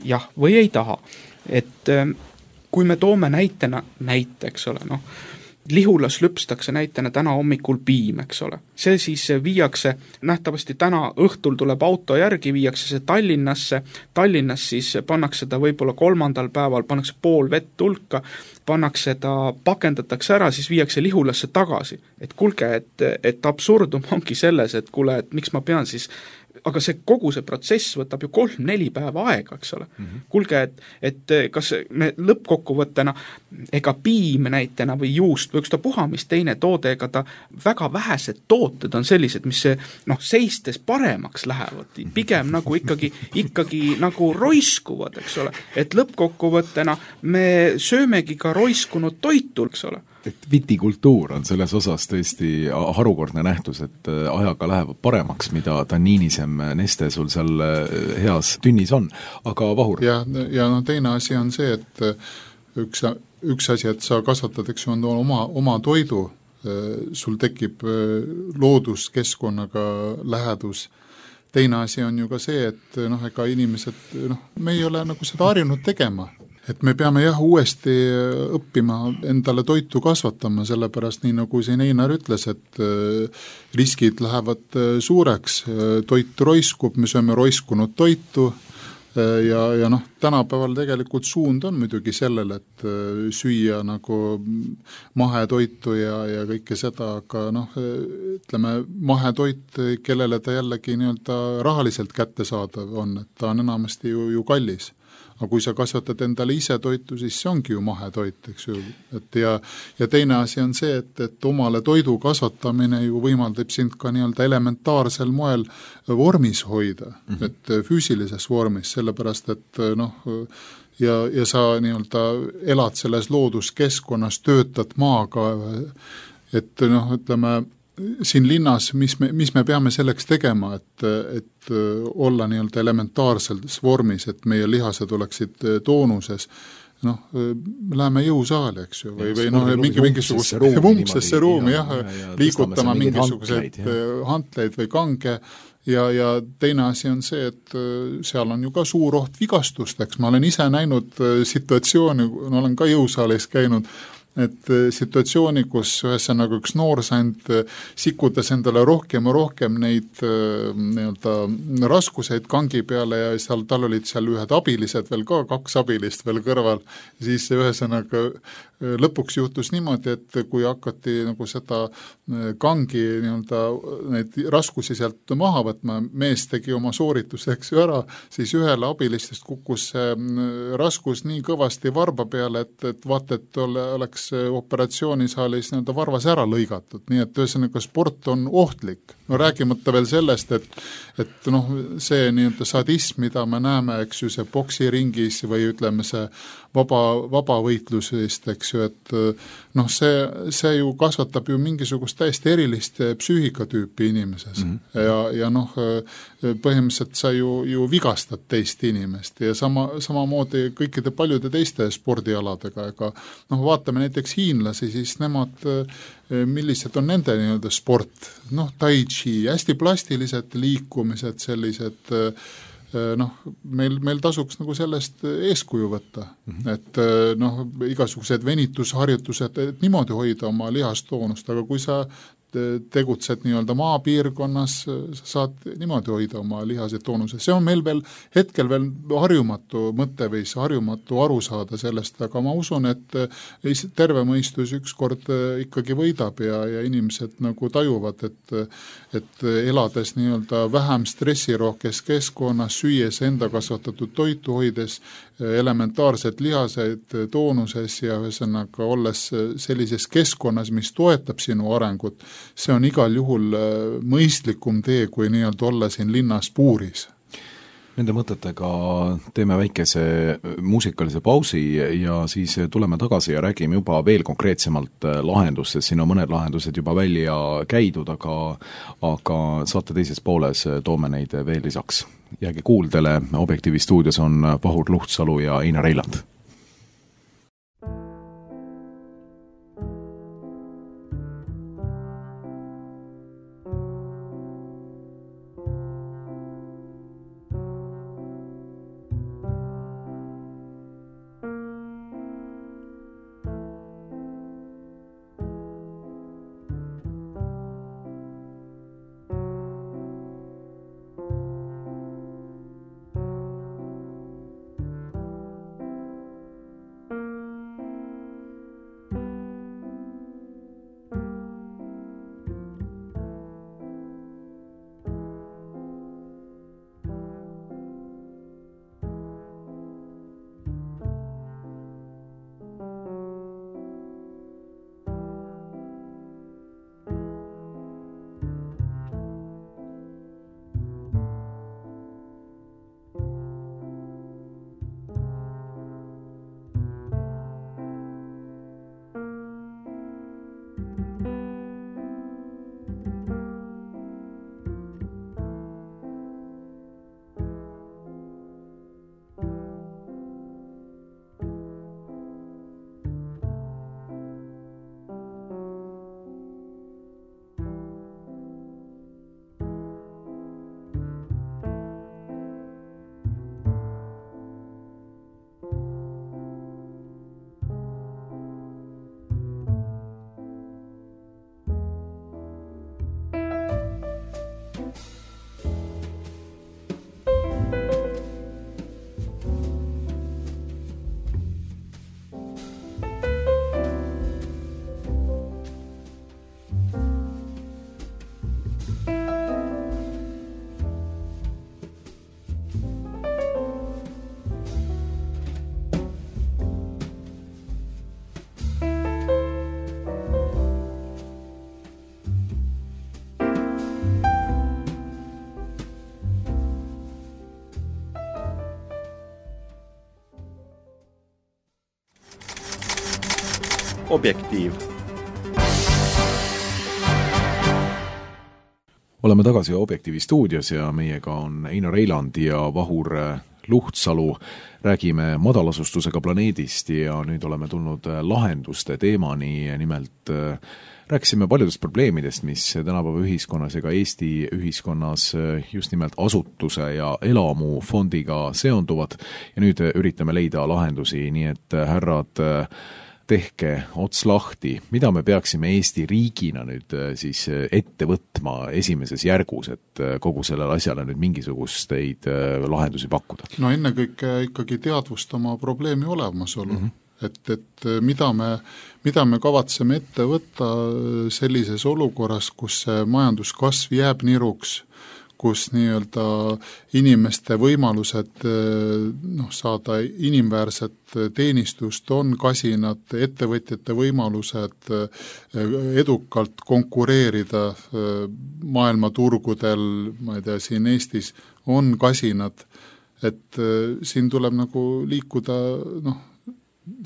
Jah, või ei taha. Et kui me toome näite, eks ole, Lihulas lüpstakse näitena täna hommikul piim, eks ole. See siis viiakse, nähtavasti täna õhtul tuleb auto järgi, viiakse see Tallinnasse, Tallinnas siis pannakse ta võib-olla 3. päeval, pannakse pool vett hulka, pannakse ta, pakendatakse ära, siis viiakse Lihulasse tagasi. Et kulge, et absurdum ongi selles, et kuule, et miks ma pean siis aga see kogu see protsess võtab ju 3-4 päeva aega, eks ole. Kulge, et kas me lõppkokkuvõttena, ega piim näitena või juust või ükstapuha, mis teine toode, ega ta väga vähesed tooted on sellised, mis seistes paremaks lähevad, pigem nagu ikkagi nagu roiskuvad, eks ole. Et lõppkokkuvõttena me söömegi ka roiskunud toitu, eks ole. Et vitikultuur on selles osas tõesti harukordne nähtus, et ajaga läheb paremaks, mida tanniinisem neste sul seal heas tünnis on. Aga Vahur? Ja teine asi on see, et üks asi, et sa kasvatad, eks on oma toidu, sul tekib looduskeskkonnaga lähedus. Teine asi on ju ka see, et ega inimesed, me ei ole nagu seda harjunud tegema. et me peame jah uuesti õppima endale toitu kasvatama, sellepärast nii nagu siin Einar ütles, et riskid lähevad suureks, toit roiskub, me sööme roiskunud toitu ja noh, tänapäeval tegelikult suund on muidugi sellele, et süüa nagu mahetoitu ja kõike seda, aga noh, ütleme, mahetoit, kellele ta jällegi nii-öelda rahaliselt kättesaadav on, et ta on enamasti ju kallis. Aga kui sa kasvatad endale ise toitu, siis see ongi ju mahetoit, eks ju. Et ja teine asi on see, et omale toidu kasvatamine ju võimaldab sind ka nii-öelda elementaarsel moel vormis hoida, et füüsilises vormis, sellepärast et noh, ja sa nii-öelda elad selles looduskeskkonnas, töötad maaga, et noh, ütleme, siin linnas, mis me peame selleks tegema, et olla nii-öelda elementaarses vormis, et meie lihased oleksid toonuses, noh, me läheme jõusaali, eks ju, või noh, mingisugusesse ruumi, jah, liigutama mingisuguseid hantleid või kange, ja teine asi on see, et seal on ju ka suur oht vigastusteks, ma olen ise näinud situatsiooni, olen ka jõusaalis käinud, et situatsiooni, kus ühesõnaga üks noorsand sikutas endale rohkem ja rohkem neid nii-öelda raskuseid kangi peale ja tal olid seal ühed abilised veel ka, 2 abilist veel kõrval, siis ühesõnaga lõpuks juhtus niimoodi, et kui hakati nagu seda kangi nii-öelda neid raskusi sealt maha võtma, mees tegi oma soorituseks ju ära, siis ühele abilistest kukkus raskus nii kõvasti varba peale, et vaata, et oleks operatsioonisaalis nii-öelda varvas ära lõigatud, nii et ühesõnaga sport on ohtlik. No räägimata veel sellest, et noh, see nii-öelda sadism, mida me näeme, eks ju, see boksiringis või ütleme see vabavõitlusest, eks ju, et noh, see ju kasvatab ju mingisugust täiesti erilist psüühikatüüpi inimeses ja noh, põhimõtteliselt sa ju vigastad teist inimest ja samamoodi kõikide paljude teiste spordialadega, ega noh, vaatame näiteks hiinlasi, siis nemad, millised on nende nii-öelda sport, noh, tai chi, hästi plastilised liikumised, sellised noh, meil tasuks nagu sellest eeskuju võtta, et noh, igasugused venitusharjutused, et niimoodi hoida oma lihastoonust, aga kui sa tegutsed nii-öelda maapiirkonnas, sa saad niimoodi hoida oma lihased toonuse. See on meil veel hetkel veel harjumatu mõtteviis, harjumatu aru saada sellest, aga ma usun, et terve mõistus ükskord ikkagi võidab ja inimesed nagu tajuvad, et elades nii-öelda vähem stressirohkes keskkonnas, süües enda kasvatatud toitu, hoides elementaarsed lihased toonuses ja ühesõnaga olles sellises keskkonnas, mis toetab sinu arengut, see on igal juhul mõistlikum tee, kui nii-öelda olla siin linnas puuris. Nende mõtetega teeme väikese muusikalise pausi ja siis tuleme tagasi ja räägime juba veel konkreetsemalt lahendustest, siin on mõned lahendused juba välja käidud, aga saate teises pooles toome neid veel lisaks. Jääge kuuldele, Objektiivi stuudios on Vahur Luhtsalu ja Einar Eiland. Objektiiv. Oleme tagasi Objektiivi stuudios ja meiega on Einar Eiland ja Vahur Luhtsalu. Räägime madalasustusega planeedist ja nüüd oleme tulnud lahenduste teemani, nimelt rääkisime paljudest probleemidest, mis tänapäeva ühiskonnas ja ka Eesti ühiskonnas just nimelt asutuse ja elamufondiga seonduvad ja nüüd üritame leida lahendusi, nii et härrad, tehke ots lahti, mida me peaksime Eesti riigina nüüd siis ette võtma esimeses järgus, et kogu sellele asjale nüüd mingisugusteid lahendusi pakkuda? No ennekõike ikkagi teadvustama probleemi olemasolu. Et mida me kavatseme ette võtta sellises olukorras, kus see majanduskasv jääb niruks, kus nii-öelda inimeste võimalused saada inimväärset teenistust on kasinad, ettevõtjate võimalused edukalt konkureerida maailmaturgudel, ma ei tea, siin Eestis on kasinad, et siin tuleb nagu liikuda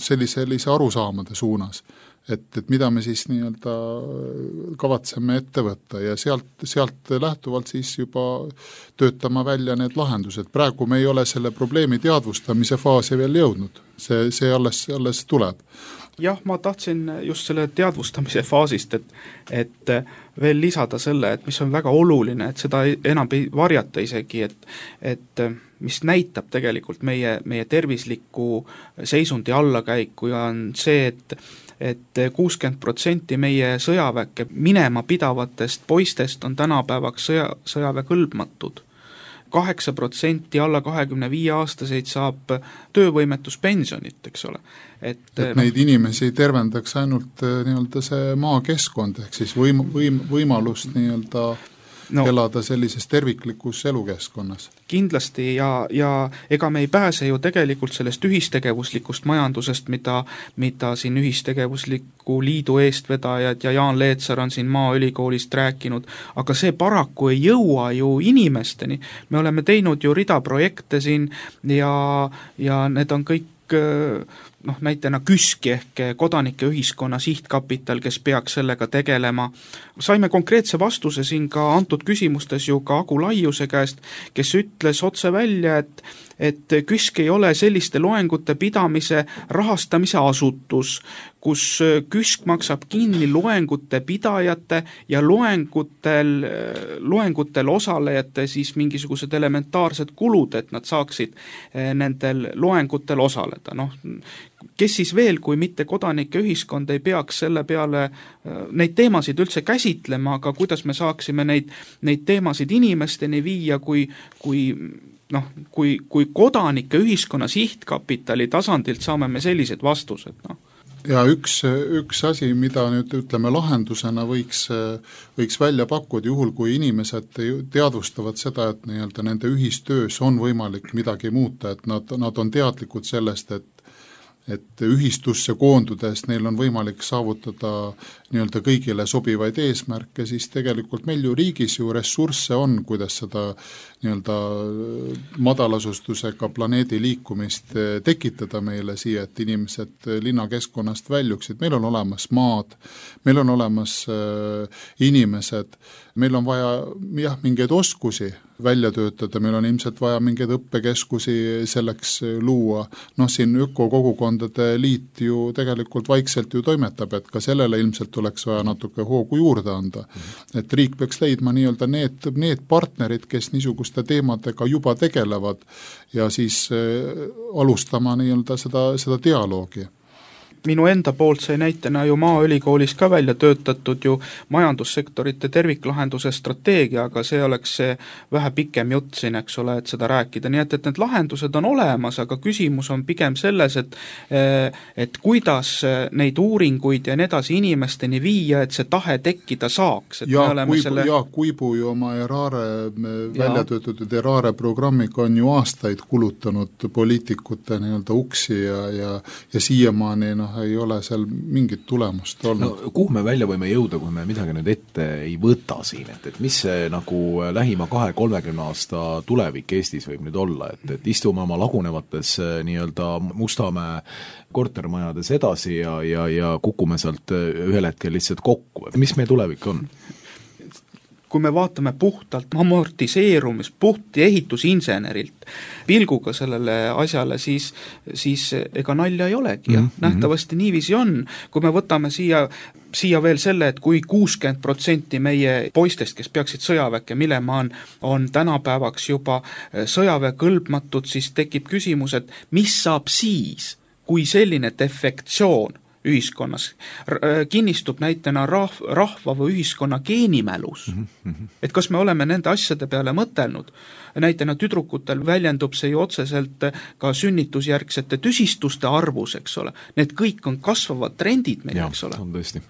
sellise arusaamade suunas, et mida me siis nii-öelda kavatseme ette võtta ja sealt lähtuvalt siis juba töötama välja need lahendused. Praegu me ei ole selle probleemi teadvustamise faasi veel jõudnud, see alles tuleb. Jah, ma tahtsin just selle teadvustamise faasist, et veel lisada selle, et mis on väga oluline, et seda enam ei varjata isegi, et mis näitab tegelikult meie tervisliku seisundi allakäiku ja on see, et 60% meie sõjaväkke minema pidavatest poistest on tänapäevaks sõjaväekõlbmatud. 8% alla 25-aastaseid saab töövõimetuspensionit, eks ole. Et neid inimesi tervendaks ainult nii-öelda see maakeskkond, ehk siis võimalust nii-öelda elada sellises terviklikus elukeskkonnas. Kindlasti ja ega me ei pääse ju tegelikult sellest ühistegevuslikust majandusest, mida siin ühistegevusliku liidu eestvedajad ja Jaan Leetsar on siin Maaülikoolist rääkinud, aga see paraku ei jõua ju inimesteni. Me oleme teinud ju rida projekte siin ja need on kõik näitena KÜSK ehk kodanike ühiskonna sihtkapital, kes peaks sellega tegelema. Saime konkreetse vastuse siin ka antud küsimustes ju ka Agu Laiuse käest, kes ütles otse välja, et KÜSK ei ole selliste loengute pidamise rahastamise asutus, kus KÜSK maksab kinni loengute pidajate ja loengutel osalejate siis mingisugused elementaarsed kulud, et nad saaksid nendel loengutel osaleda. Kes siis veel, kui mitte kodanike ühiskond ei peaks selle peale neid teemasid üldse käsitlema, aga kuidas me saaksime neid teemasid inimesteni viia, kui kodanike ühiskonna sihtkapitali tasandilt saame me sellised vastused, Ja üks asi, mida nüüd ütleme lahendusena võiks välja pakkuda, juhul kui inimesed teadvustavad seda, et nii-öelda nende ühistöös on võimalik midagi muuta, et nad on teadlikud sellest, et ühistusse koondudes neil on võimalik saavutada nii-öelda kõigile sobivaid eesmärke, siis tegelikult meil ju riigis ju ressursse on, kuidas seda nii-öelda madalasustusega planeedi liikumist tekitada meile siia, et inimesed linnakeskkonnast väljuksid. Meil on olemas maad, meil on olemas inimesed, meil on vaja mingeid oskusi välja töötada, meil on ilmselt vaja mingeid õppekeskusi selleks luua. Siin ökokogukondade liit ju tegelikult vaikselt ju toimetab, et ka sellele ilmselt oleks vaja natuke hoogu juurde anda. Et riik peaks leidma nii-öelda need partnerid, kes niisuguste teemadega juba tegelevad ja siis alustama nii-öelda seda dialoogi. Minu enda poolt sai näitena ju Maaülikoolis ka välja töötatud ju majandussektorite terviklahenduse strateegia, aga see oleks vähe pikem jutt siin, eks ole, et seda rääkida. Nii et need lahendused on olemas, aga küsimus on pigem selles, et kuidas neid uuringuid ja edasi inimesteni viia, et see tahe tekkida saaks. Et Jaak Uibu ju oma välja töötatud Erare programmiga on ju aastaid kulutanud poliitikute nii-öelda uksi ja siiamaani ei ole seal mingit tulemust olnud. No kuhu me välja võime jõuda, kui me midagi nüüd ette ei võta siin, et mis see nagu lähima 20-30 aasta tulevik Eestis võib nüüd olla, et istume oma lagunevates nii-öelda Mustamäe kortermajades edasi ja kukume sealt ühel hetkel lihtsalt kokku, mis meie tulevik on? Kui me vaatame puhtalt amortiseerumis, puht ehitusinsenerilt pilguga sellele asjale, siis ega nalja ei olegi ja nähtavasti niiviisi on. Kui me võtame siia veel selle, et kui 60% meie poistest, kes peaksid sõjaväkke minema, on tänapäevaks juba sõjaväekõlbmatud, siis tekib küsimus, et mis saab siis, kui selline defektsioon ühiskonnas kinnistub näitena rahva või ühiskonna geenimälus. Et kas me oleme nende asjade peale mõtelnud? Näitena tüdrukutel väljendub see ju otseselt ka sünnitusjärgsete tüsistuste arvus, eks ole. Need kõik on kasvavad trendid meil, eks ole. On tõesti.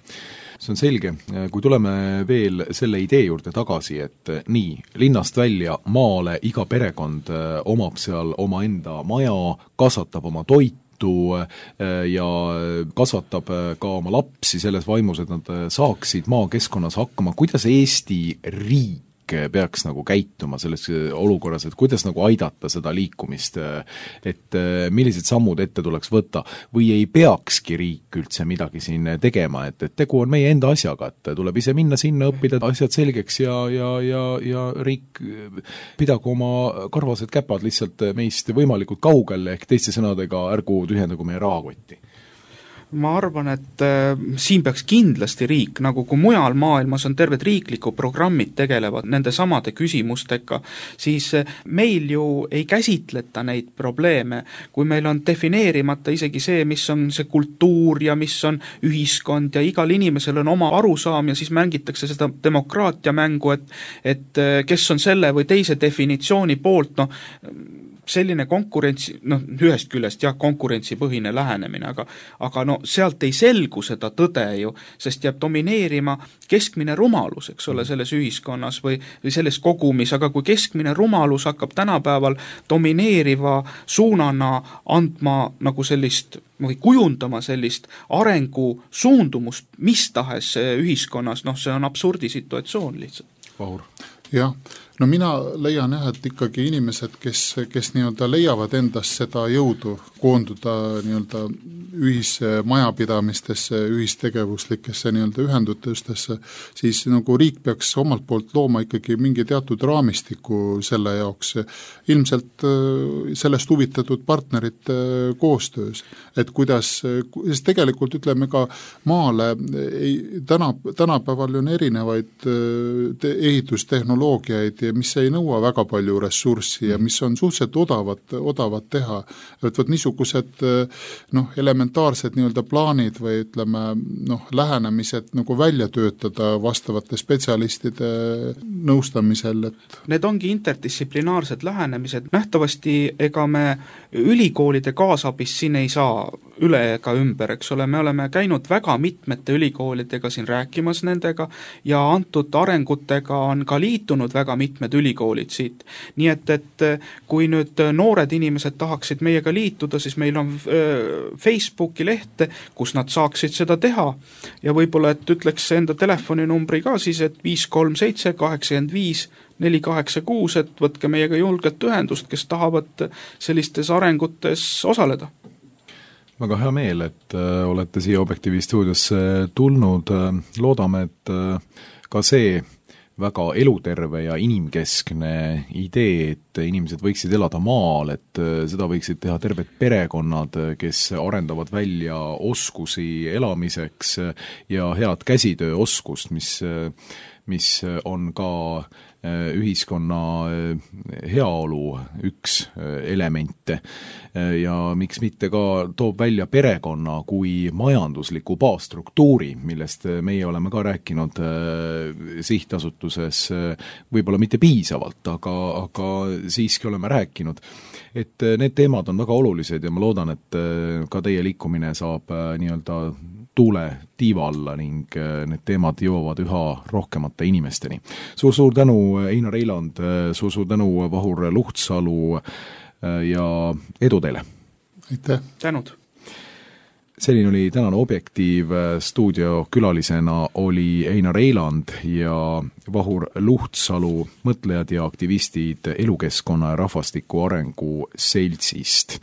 See on selge. Kui tuleme veel selle idee juurde tagasi, et nii, linnast välja maale iga perekond omab seal oma enda maja, kasvatab oma toitu, ja kasvatab ka oma lapsi selles vaimus, et nad saaksid maakeskkonnas hakkama. Kuidas Eesti riik peaks nagu käituma selles olukorras, et kuidas nagu aidata seda liikumist, et millised sammud ette tuleks võtta või ei peakski riik üldse midagi siin tegema, et tegu on meie enda asjaga, et tuleb ise minna sinna, õppida asjad selgeks ja riik pidagu oma karvased käpad lihtsalt meist võimalikult kaugel, ehk teiste sõnadega ärgu tühjendagu meie rahakotti. Ma arvan, et siin peaks kindlasti riik, nagu kui mujal maailmas on terved riikliku programmid tegelevad nende samade küsimustega, siis meil ju ei käsitleta neid probleeme, kui meil on defineerimata isegi see, mis on see kultuur ja mis on ühiskond ja igal inimesel on oma arusaam ja siis mängitakse seda demokraatia mängu, et kes on selle või teise definitsiooni poolt, selline konkurentsi, ühest küljest konkurentsipõhine lähenemine, aga sealt ei selgu seda tõde ju, sest jääb domineerima keskmine rumalus, eks ole, selles ühiskonnas või selles kogumis, aga kui keskmine rumalus hakkab tänapäeval domineeriva suunana andma nagu sellist või kujundama sellist arengu suundumust mis tahes ühiskonnas, see on absurdisituatsioon lihtsalt. Vahur. Jah, mina leian et ikkagi inimesed, kes nii-öelda leiavad endas seda jõudu koonduda nii-öelda ühismajapidamistesse, ühistegevuslikesse nii-öelda ühendutustesse, siis nagu riik peaks omalt poolt looma ikkagi mingi teatud raamistiku selle jaoks. Ilmselt sellest huvitatud partnerite koostöös, et kuidas, sest tegelikult ütleme ka maale, tänapäeval on erinevaid ehitustehnoloogiaid, mis ei nõua väga palju ressurssi ja mis on suhteliselt odavad teha. Et niisugused elementaarsed nii-öelda plaanid või ütleme lähenemised nagu välja töötada vastavate spetsialistide nõustamisel. Need ongi interdistsiplinaarsed lähenemised. Nähtavasti ega me ülikoolide kaasabist siin ei saa üle ega ümber, eks ole, me oleme käinud väga mitmete ülikoolidega siin rääkimas nendega ja antud arengutega on ka liitunud väga mitmed ülikoolid siit. Nii et kui nüüd noored inimesed tahaksid meiega liituda, siis meil on Facebooki leht, kus nad saaksid seda teha ja võib-olla, et ütleks enda telefoninumbri ka siis, et 537 85 486, et võtke meiega julgelt ühendust, kes tahavad sellistes arengutes osaleda. Väga hea meel, et olete siia Objektiivi stuudiosse tulnud. Loodame, et ka see väga eluterve ja inimkeskne idee, et inimesed võiksid elada maal, et seda võiksid teha terved perekonnad, kes arendavad välja oskusi elamiseks ja head käsitööoskust, mis on ka ühiskonna heaolu üks elemente ja miks mitte ka toob välja perekonna kui majandusliku baasstruktuuri, millest meie oleme ka rääkinud sihtasutuses võib-olla mitte piisavalt, aga siiski oleme rääkinud. Et need teemad on väga olulised ja ma loodan, et ka teie liikumine saab nii-öelda tuule tiiva alla ning need teemad jõuavad üha rohkemate inimesteni. Suur tänu, Einar Eiland, suur tänu, Vahur Luhtsalu ja edu teile! Aitäh! Tänud! Selline oli tänane Objektiiv, stuudiokülalisena oli Einar Eiland ja Vahur Luhtsalu, mõtlejad ja aktivistid elukeskkonna ja rahvastiku arengu seltsist.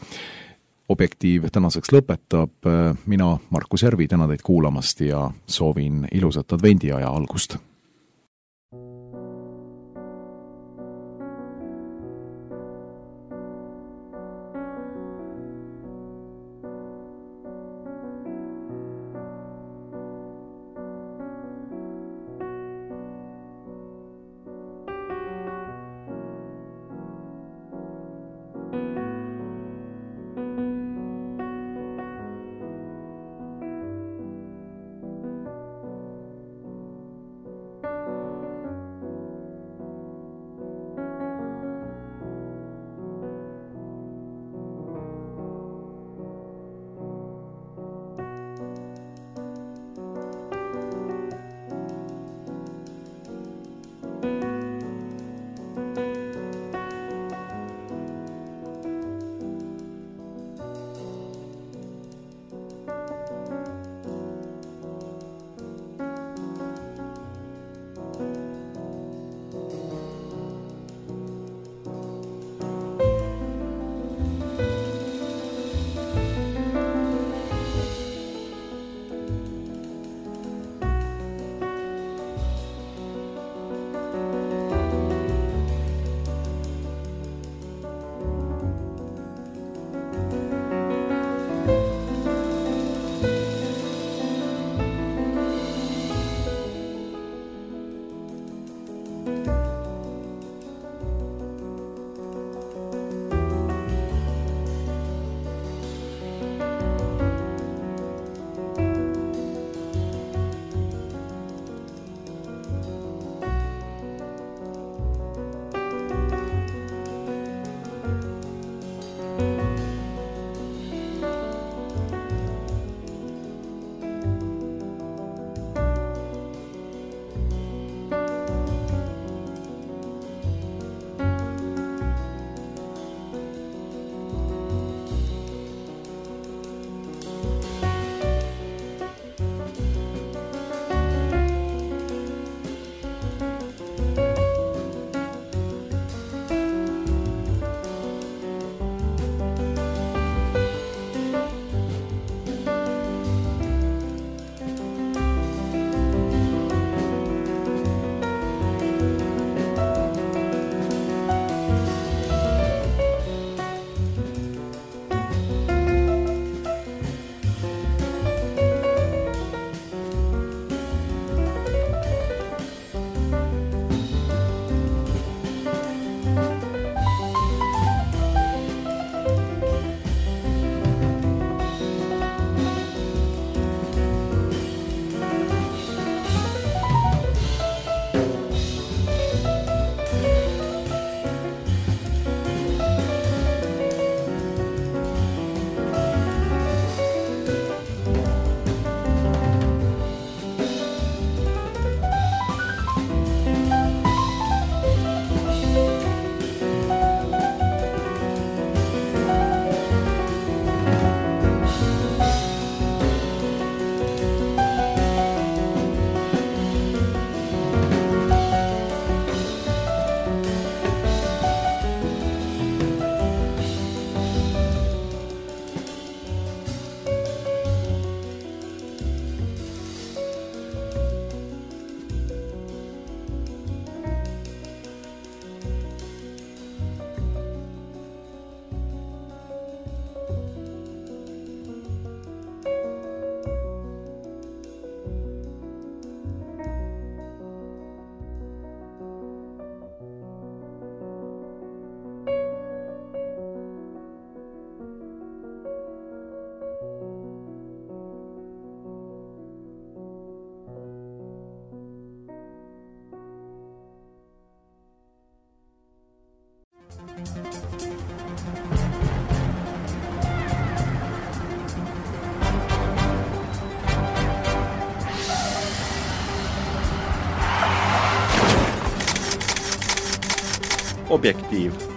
Objektiiv tänaseks lõpetab, mina, Markus Järvi, tänan teid kuulamast ja soovin ilusat advendiaja algust. Objektiiv